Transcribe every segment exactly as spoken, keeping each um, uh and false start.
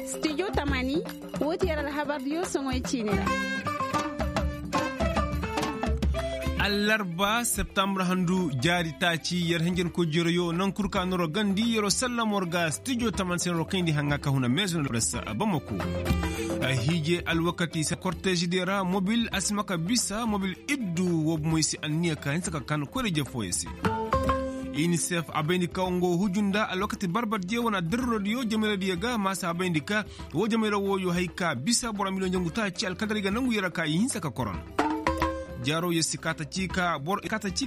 Stijo tamani, woo ti yer alhabardiyo soŋoy ciini ra. Allarba septambur handu jaari taaci yer hinjankoy jereyo naŋ kul ka noro gandi yeroo sallam war ga stijo tamani se noro kayndi haŋa ka huna meezo na presse bamako. Hiije alwakati se kortezidiyo ra mobil a si ma ka bisa mobil iddu woo bomoy se anniya ka hinsa ka kan koyra jefooyo se. Inisef a bayndi ka nga hujunda alwakati barbardiyo wane addirrodiyo jamayradiyo ga maasa a bayndi ka woo jamayra wooyo hay ka bisa boro miliyoŋ jangu taaci alkadaray ga nangu yer a ka i hinsa ka koron. Jaaro yer si kaata ciika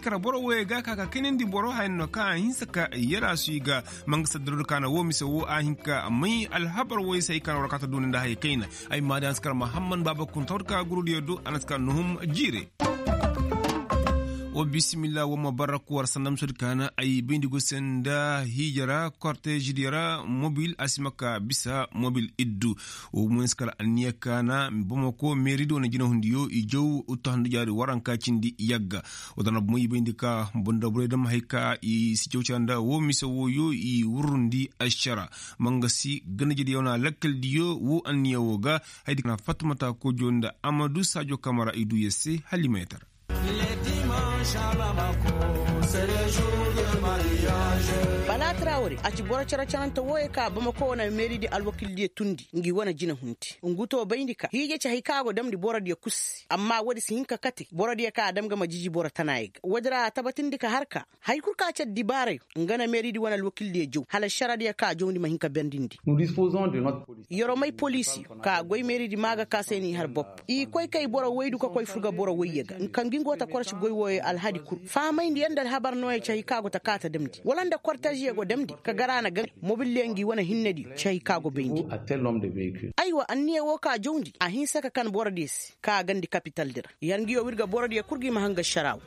ra boro wooyo ga ka ka kaynandi boro haya no ka a hinsa ka yer a suy ga. Mangasa dirrodi ka na woo mise woo a hin ka may alhabar wooyo se hay ka na war kaata duuni nda haya kayna. Ay maadi a na si kar mahamman baaba kun tawdi ka gurudiyo do a na si kar nuhum jiire. Wa bisimilla wa ma barraku war sandam sodi kaana ay bayndi go se nda hiija ra kortezidiyo ra mobil a si ma ka bisa mobil iddu. Wa ma si kar anniya kaana bamako meeridi wane jinahundiyo i jaw uttu handu jaari waranka cindi yagga. Wa dana bomo i bayndi ka bonda borey dam hay ka i si jaw canda wo mise wooyo i wurrundi ašara. Mangasi ganajediyo na lakkaldiyo wo anniya wo ga. Haydi kana fatmata kojo nda amadu saajo kamara i du yer se halima yatara. Bala trawre a ci boro cere-cerante wooyo ka bamako wane meeridi alwakildiyo tundi ngi wane jinahundi. Ngu to bayndi ka hiije ci hay ka go damndi borodiyo kul se amma woodi si hin ka kate borodiyo ka a dam ga ma jiji boro tanaayo ga woodi ra a tabatindi ka har ka. Hay kul ka car dibaarayo nga na meeridi wane alwakildiyo jaw hala šaradiyo ka a jawndi ma hin ka berndindi. Yeroo may poliisiyo ka goy meeridi maa ga ka se n'i har bopp i koy kay boro woydu ka koy fur ga boro woyyo ga nka ngi ngo ta korci goy wooyo alhadi kul fahamayndi yer nda alhabar nooya ci hay ka go ta ka ta damndi wala nda korteziyo go damndi ka gar a na gaŋ mobildiyo ngi wane hinnediyo ci hay ka go bayndi. Aywa anniya woo ka jawndi a hinsa ka kan borodiyo se ka a gandi kapitaldi ra. Yer ngiyo wirga borodiyo kul gi ma hanga šaraaw.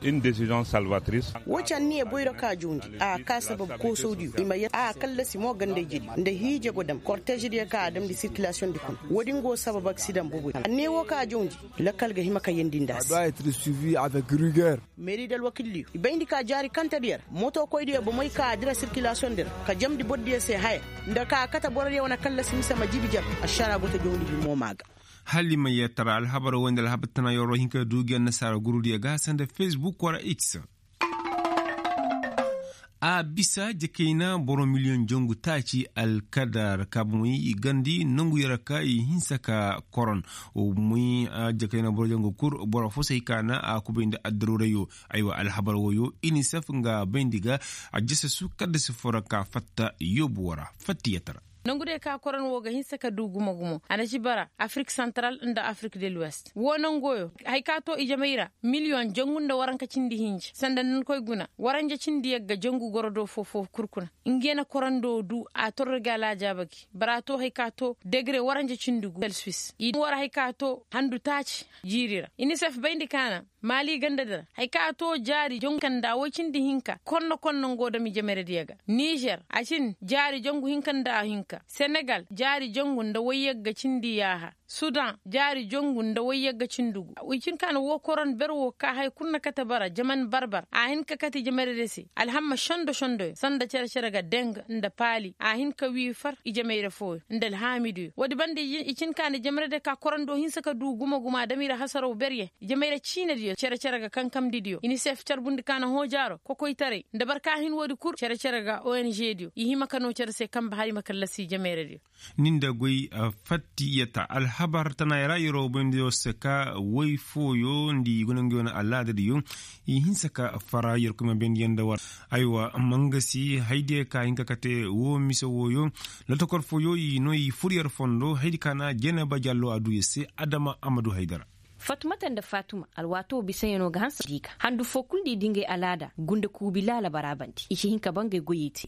Woo ci anniya boyro ka jawndi a ka sabab koosawdiyo i ma yer a kallasi mo gandayjediyo nda hiije go dam kortezidiyo ka a damndi sirkilasiyoŋdi kuna. Woodi ngo sabab aksidaŋ boboy anniya woo ka jawndi. Lakkal ga hima ka yeendi nda a se. Meeridi alwakildiyo i bayndi ka jaari kantediyo ra motokoydiyo bomey ka a dira sirkilasiyoŋdi ra ka jamndi borodiyo se haya nda ka a kate borodiyo wane kallasi mise ma jibi jar. Ašara go ta jawndi himo maa ga. Halima yee tara alhabar woy nda alhabar tana yoroo hinka du gi annasaara gurudiyo ga sanda fesbuk wara x. A bisa jakayna boro miliyoŋ jangu taaci alkadar kaabamey i gandi nongu yara ka i hinsa ka koron. Moy jakayna boro jangu kul boro fo se hay ka na a kubay nda addaruurayo. Aywa alhabar woyo inisef nga bayndi ga a jasasu kaddasi fo ra ka fatta yoobu wara fatta yee tara. Nangu day ka koron wo ga hinsa ka du gumo gumo a na ci bara afrik santaral nda afrik de l'ouest wo nangoyo. Hay ka to ijamey ra miliyoŋ jangu nda waranka cindi hinja sanda nda ni koy guna waranja cindi yagga jangu goro do foo foo kul kuna. Nge na korando du a torro ga alaajaaba gi bara to hay ka to degre waranja cindi gu selsuis i war hay ka to handu taaci jiiri ra inisef bayndi kaana. Maali ganda dira hay ka to jaari jongu kanda woy cindi hinka konno konno ngo dami jamerediya ga nizer a cin jaari jongu hinka nda hinka senegal jaari jongu nda woy yagga cindi yaaha sudan jaari jongu nda woy yagga cindi gu. I cin ka na wo koron ber wo ka hay kul na kate bara jaman barbar a hin ka kate jamerede se alhamma sondo sondoyo sanda cere cere ga deng nda paali a hin ka wii far i jameyre fooyo nda alhaamiduyo woodi banda i cin ka na jamerede ka korando hinsa ka du gumo gumo a dami ra hasaraw berye. Jamayra ciinadiyo cere-cere ga kankamdidiyo inisef carbundi ka na hoojaaro kokoytaray nda barka hin woodi kul cere-cere ga ongdiyo i hima ka noo cere se kanbe hari ma kallasi jamayradiyo. Ni nda goy fattiyata alhabar tanaayra yeroo boyndiyo se ka woy fooyo nda i gunanguyo na alaadadiyo i hinsa ka fara yerkoy ma bendiyaŋ nda war. Aywa mangasi haydiyo ka hin ka kate woo mise wooyo lotokor fooyo i noo i fur yer fondo haydi ka na jeneba jallo a duu yer se adama amadu haydara. Fatumata nda fatuma alwaatoo bisayanoo ga hanse di ga handu foo kul nda i di ngey alaada gunda kuubi laala baraabandi i si hin ka ba ngey goyey te.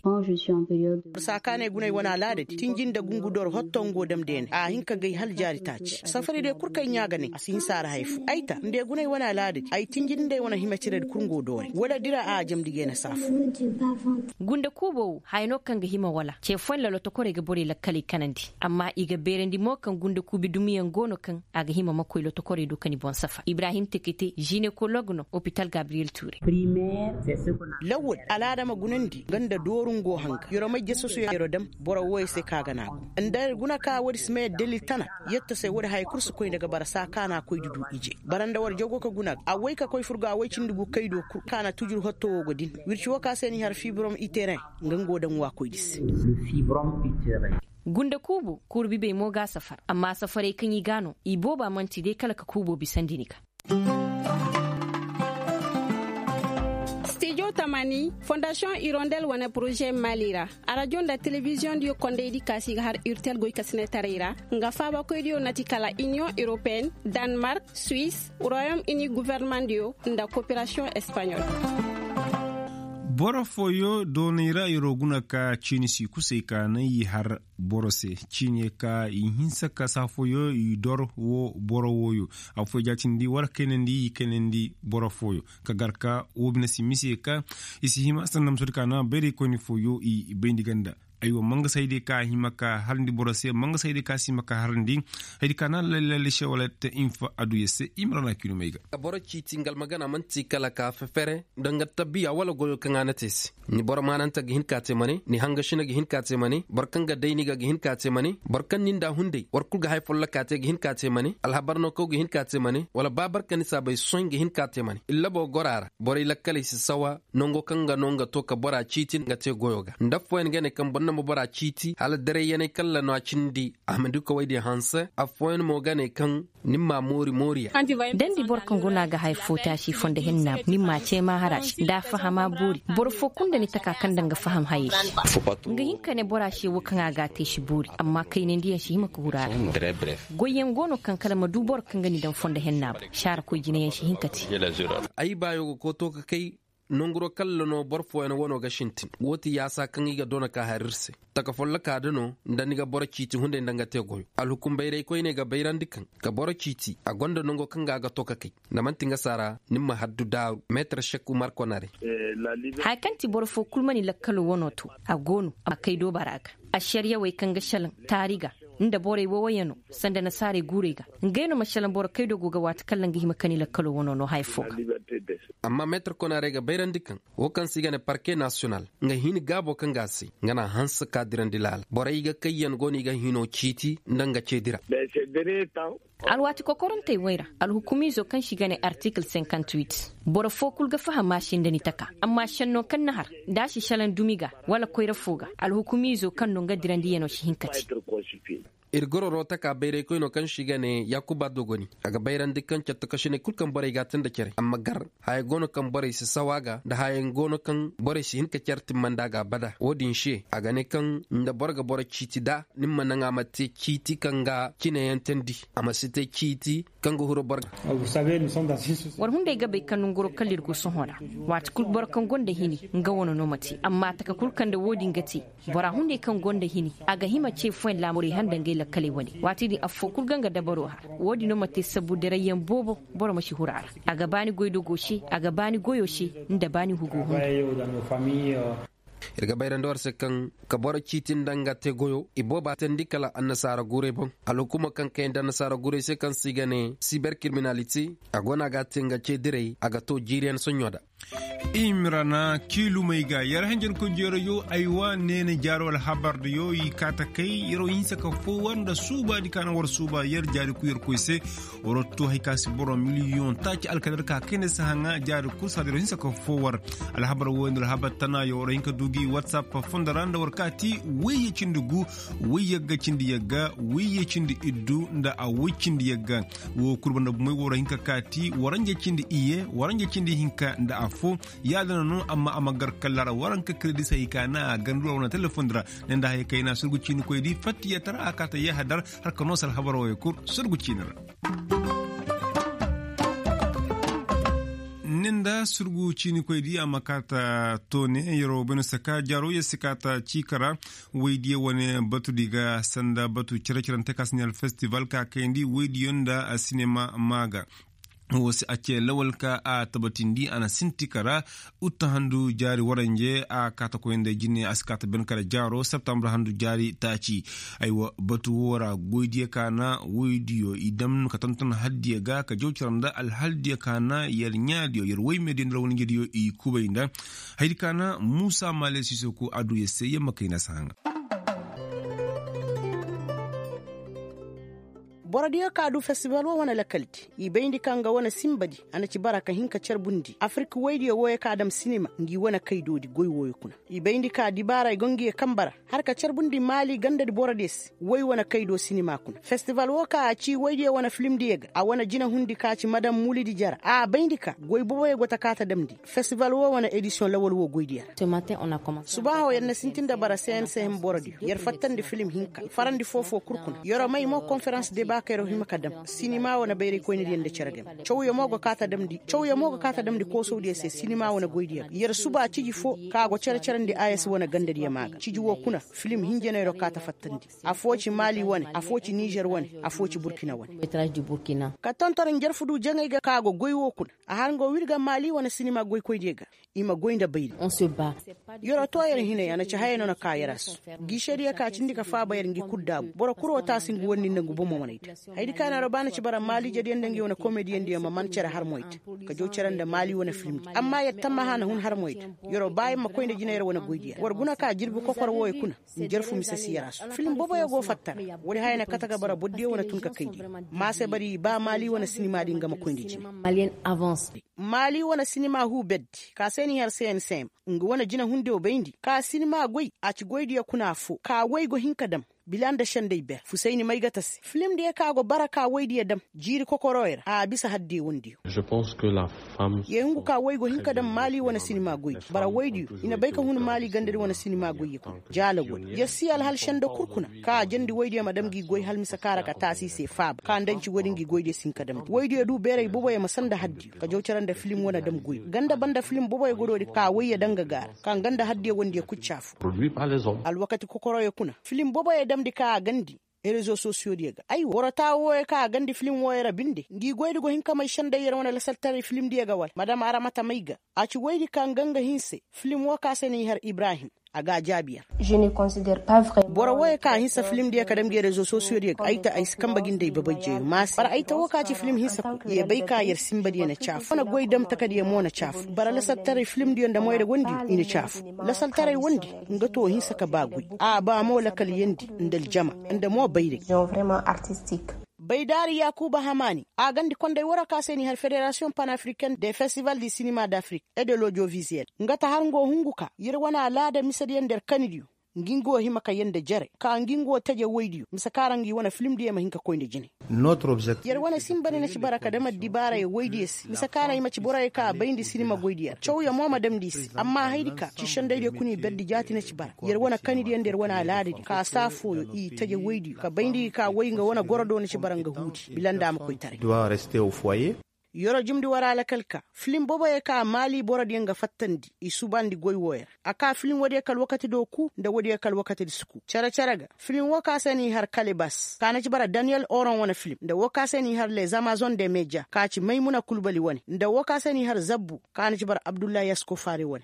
Saakaaney guney wane alaadadi tinji nda gungudor hotto ngoo damdeeney a hin ka gay hala jaari taaci safariyadiyo kul kay ɲaa ga ne a si hin saara hay foo ay ta nda i guney wane alaadadi ay tinji nda i wane himaciradi kul ngoo dooray wala dira a jamndi gay na saafu. Gunda kuuboo woo haya no kaŋ ga hima wala ce fooyaŋ ra lotokorey ga borey lakkaley kanandi amma i ga beerandi mo kaŋ gunda kuubi dumiyaŋ go no kaŋ a ga hima ma koy lotokorey do. Ka ni boŋ safar ibrahim tekete jinekolog no opital gabriyel ture. Lawwal alaada ma gunandi nga nda dooru ngo hanga yeroo may jasasu yeroo dam boro wooyo se ka a ga naagu nda guna ka woodi si ma yadda dalil tana. Yetta se woodi haya kul si koy nda ga bara saa ka na a koy di du ije bara nda war jago ka guna a way ka koy furga a way cindi gu kay do kul ka na tujur hotto woo go din wirci woo ka se ni har fibrom iteren. Nga ngo daŋ wa koy di se. Gunda kuubo kuuru bibey mo ga a safar amma safarey kaŋ i ga a no i booba man'ti day kala ka kuubo bisandi ni ga. Stijo tamani fondasiyoŋ irondel wane poroze maali ra. Arajo nda telebiziyoŋ diyo kondaydi ka si ga har irtel goykasinetaray ra. Nga faabakoydiyo na ti kala iniyoŋ europeen, danmark, suwis, royom ini gofornamaŋdiyo nda koperasiyoŋ espaɲol. Boro fooyo doonay ra yeroo guna ka ciini si kusay ka naŋ i har boro se ciine ka i hinsa ka saa fooyo i dor wo boro wooyo. Affooyo jaatindi war kaynandi i kaynandi boro fooyo ka gar ka woo bine si mise ka i si hima sanda ma soodi ka naŋ bayraykoyni fooyo i bayndi ganda. Aywa mangasaydi ka hima ka harandi boro se mangasaydi ka si hima ka harandi. Haydi ka naŋ lalle lalle se wala te infa aduya se i ma ra na kiino may ga. Boro ciiti nga almagana man'ti kala ka fefere nda nga tabiya wala goyo kaŋ a na te se. Ni boro maanante ga hin ka a te mane ni hangashina ga hin ka a te mane boro kaŋ ga day ni ga ga hin ka a te mane boro kaŋ ni nda hunday war kul ga haya folloka te ga hin ka a te mane alhabar no kaw ga hin ka a te mane wala ba barka ni saabay sohõ ga hin ka a te mane illabo goro a ra borey lakkaley si sawa. Nango kaŋ ga no nga to ka bora ciiti nga te goyo ga nda affooyaŋ ga ne kaŋ boro na ma bora ciiti hala darayyaney kalla no a cindi a ma du ka woy din hanse. Affooyaŋ mo ga ne kaŋ ni mma moori mooriya. Da ni di boro kaŋ go no a ga haya fo taasi fondo henna ni mma cee maahara se nda a fahama boori boro fo kulu nda ni taka kaŋ daŋ ga faham hayey se. Nga hin ka ne bora se wo kaŋ a ga a te si boori amma kaynandiyaŋ si hima ka huru a ra. Goyyaŋ go no kaŋ kala ma du boro kaŋ ga ni daŋ fondo henna boŋ saara koy jinayaŋ si hin ka te. Ay baayo ga kooto ka kay. Nanguro kalla no boro fooyaŋ wano ga sintin woo ti yaasa kaŋ i ga doona ka har ir se. Taka folloka da no nda ni ga boro ciiti hunday nda nga te goyo alhukum bayraykoyney ga bayrandi kaŋ ka boro ciiti a gonda nango kaŋ ga a ga to ka kay. Nda man'ti nga saara ni ma haddu daaru meetar sekku markonare. Haya kaŋ ti boro foo kul ma ni lakkalo wano to a go no a ma kay doobara ga. Ašariyawey kaŋ ga šelaŋ taari ga nda borey wowoyaŋ no sanda nasaarey guurey ga. Ngey no ma šelaŋ boro kaydo go ga waati kaŋ ra nga hima ka ni lakkalo wano no haya foo ga. Amma meetar konaarey ga bayrandi kaŋ woo kaŋ se i ga ne parke nasiyonal nga hini gaabo kaŋ ga a se nga na a hanse ka dirandi laala borey ga kayyaŋ go no i ga hino ciiti nda nga ceedi ra. Alwaati kokorantey wey ra alhukumiizo kaŋ se i ga ne artikil senkantuwit boro foo kul ga faham a se nda ni taka amma šenno kaŋ na har da a si šelaŋ dumi ga wala koyra foo ga alhukumiizo kaŋ no nga dirandiyanoo si hin ka te. Ir gororo taka bayraykoynoo kaŋ se i ga ne yaakuba dogoni a ga bayrandi kaŋ cattakasiney kul kaŋ borey ga a te nda care amma gar haya go no kaŋ borey si saw a ga nda haya go no kaŋ borey si hin ka care timmandi a ga abada wo-din se a ga ne kaŋ nda boro ga boro ciiti da ni ma naŋ a ma te ciiti kaŋ ga cineyaŋ teendi a ma si te ciiti kaŋ ga huru boro ga. War hunday ga bay kaŋ nanguro kala ir go sohõ ra waati kul boro kaŋ gonda hini nga wane no ma te amma taka kul kaŋ nda wo-din ga te. Bora hunday kaŋ gonda hini a ga hima ce fooyaŋ laamurey handa ngey lakkaley wane waati din affoo kul ga nga dabaro har wo-din no ma te sabu dirayyaŋ boobo. Boro ma si huru a ra a ga ba ni goydogo se a ga ba ni goyo se nda ba ni hugo hunday. Ir ga bayrandi war se kaŋ ka boro ciiti nda nga te goyo ibooba teendi kala annasaara guurey boŋ. Alhukuuma kaŋ kay nda annasaara guurey se kaŋ se i ga ne siber kiriminalite a go no a ga a te nga ceediray a ga to jiiriyaŋ soɲõ da. Imrana kiilumey ga yer hanjankoy jeerayo aywa neene jaaro alhabardiyo i kaata kay yeroo hinsa ka foo war nda suubaadi ka na war suuba yer jaari kuyarkoy se. War to hay ka si boro miliyoŋ taaci alkadar ka kayna si haŋa jaari kul saadiro hinsa ka foo war. Alhabar wooyo nda alhabar tanaayo war hin ka du gi watsap fondo ra nda war kaati wayye cindi gu wayye ga cindi yagga wayye cindi iddu nda a way cindi yagga. Wo kul banda bumey war hin ka kaati waranje cindi iye waranje cindi hinka nda afo. Yaadana no amma a ma gar kalla ra waranka kiredisey ka na a gandu ra wane telefondi ra. Ne nda haya kayna surgu ciinikoydi fattiyatara a kaata yahadar har ka noose alhabar wooyo kul surgu ciini ra. Nin da surgu ciinikoydi a ma kaata toone yeroo bayno saka jaaroo yer si kaata ciika ra. Waydiyo wane batudi ga sanda batu cere-cerante ka siniyal festival ka kayandi waydiyo nda sinema maa ga. Woo se a cee lawal ka a tabatindi a na sinti kara. Utta handu jaari waranje a kaata koy nda jine a si kaata ben kara jaaro septambur handu jaari taaci. Aywa batu woo ra goydiyo ka na woydiyo i dam ka tonton haldiyo ga ka jaw cere nda alhaldiyo ka na yer ɲaadiyo yer woymeediyo nda ra wane njediyo i kubay nda haydi ka na muusa maale siisoku a du yer se yer ma kay na si haŋa. Borodiyo ka du festival woo wane lakaldi i bayndi ka nga wane sinbadi a na ci bara ka hin ka carbundi afirik woydiyo wooyo ka dam sinima ngi wane kaydoodi goy wooyo kuna. I bayndi ka dibaara i go ngi ye kanba ra har ka carbundi maali gandadi borodiyo se woy wane kaydo sinima kuna festival woo ka a cii woydiyo wane filimdiyo ga a wane jinehundi ka ci madam mulidi jara a bayndi ka goy boboyo go ta kaa ta damndi. Festival woo wane edisiyoŋ lawal woo goydiyo ra. Subaaho yer na sinti nda bara cnsm borodiyo yer fattandi filim hinka farandi foo-foo kul kuna yer'o may mo konferans deba ka yer'o hima ka dam sinima wane bayraykoynediyo nda cere game cawyo mo ga kaa ta damndi cawyo mo ga kaa ta damndi koosawdiyo se sinima wane goydiyo ga yer suba ciji foo ka go cere-cerandi a s wane gandadiyo maa ga ciji woo kuna filim hinja no yer'o kaa ta fattandi. Afoo ci maali wane afoo ci nizer wane afoo ci burkina wane. Ka tonton njarfu du jaŋay ga ka go goy woo kuna a har nga wir ga maali wane sinima goykoydiyo ga. I ma goy nda bayri. Yer'o too yer hinay a na ci hayey no na kaa yer a su. Giisediyo ka cindi ka faaba yer ngi kul daabu boro kul woo taasi ngu wanni nda ngu bomo waney da. Hayadi ka na yer'o ba na ci bara maaliijediyo nda ngi wane komediyandiyo ma man cere harmoy da ka jaw cere nda maali wane filimdi amma yer tammaha na hun harmoy da. Yer'o ba yer ma koy nda jina yer wane goydiyo ra war guna ka jirbi kokor wooyo kuna. Njarfu mise si yer a su filim boboyo go fatta ra. Woodi haya na kate ga bara borodiyo wane tun ka kayndi. Maase bari i ba maali wane sinimaadi nga ma koy nda jina. Maali wane sinima huu berdi ka se n'i har cnsm nga wane jinehundiyo bayndi ka sinima goy a ci goydiyo kuna affoo ka woy go hin ka dam. Bila nda sendey ber fusayni maygata se filimdiyo ka go bara ka woydiyo dam jiiri kokoroyo ra a bisa haddiyo wondiyo. Yee hungu ka woy go hin ka dam maali wane sinima goydi bara woydiyo i na bay ka hun maali gandadi wane sinima goyyo kuna. Jaala woodi yer si alhal sendo kul kuna ka a jandi woydiyo ma dam ngi goy hala mise ka ra ka taasi i se faaba ka nda nci woodi ngi goydiyo si hin ka damndi woydiyo du beeray boboyo ma sanda haddiyo ka jaw cere nda filim wane dam goy ganda banda filim boboyo godoodi ka woyyo danga ga a ra ka nga nda haddiyo wondiyo kul caafu. Alwakati kokoroyo kuna filim boboyo damndi ka a gandi rezo sosiyodiyo ga aywa woro taa wooyo ka a gandi filim wooyo ra binde ngi goydi go hin ka may sendey yer wane lasaltaray filimdiyo ga wala madam aramata may ga. A ci woydi ka nga nga hinse filim woo ka se n'i har ibrahim. A ga a jaabi yer. Boro wooyo ka a hinsa filimdiyo ka dam ngi rezo sosiyodiyo ga ay ta ay si kanba ga nda ay babay jeyo maase bara ay ta woo ka ci filim hinsa kul ye bay ka yer sinbadiyo na caafu wane goy dam takadiyo mo na caafu bara lasaltaray filimdiyo nda moyra wondiyo i na caafu. Lasaltaray wondi nga too hinsa ka ba goy a ba mo lakaliyandi nda aljama nda mo bayray. Baydaari yaakuuba hamaani a gandi konday waroo ka se n'i har federasiyoŋ panafriken de festival di sinima d'afrik et de l'audiovisuel nga ta har nga woo hungu ka yer wane alaada misediyo nda yer kanidiyo. Ngi nga woo hima ka yee nda jere ka ngi nga woo teje woydiyo mise ka ra ngi wane filimdiyo ma hin ka koy nda jine. Yer wane sinba ni na ci bara ka dam addibaarayo woydiyo se mise ka ra i ma ci boroyo ka a bayndi sinima goydiyo ra cawyo mo ma damndi i se amma hayadi ka ci sendaydiyo kuna i berdi jaati na ci bara yer wane kanidiyo nda yer wane alaadadiyo ka saa fooyo i teje woydiyo ka bayndi gi ka woy nga wane goro do na ci bara nga huudi bila nda a ma koytaray. Yer'o jumndi war alakal ka filim boboyo ka maali borodiyo nga fattandi i subandi goy wooyo ra a kaa filim woodiyo kala wakati do kuu nda woodiyo kala wakati di si kuu cere-cere ga filim woo ka se n'i har kalebas ka na ci bara daniyel oron wane filim nda woo ka se n'i har les amazon de media ka ci maymuna kulbali wane nda woo ka se n'i har zabbu ka na ci bara abdullahi yasko faari wane.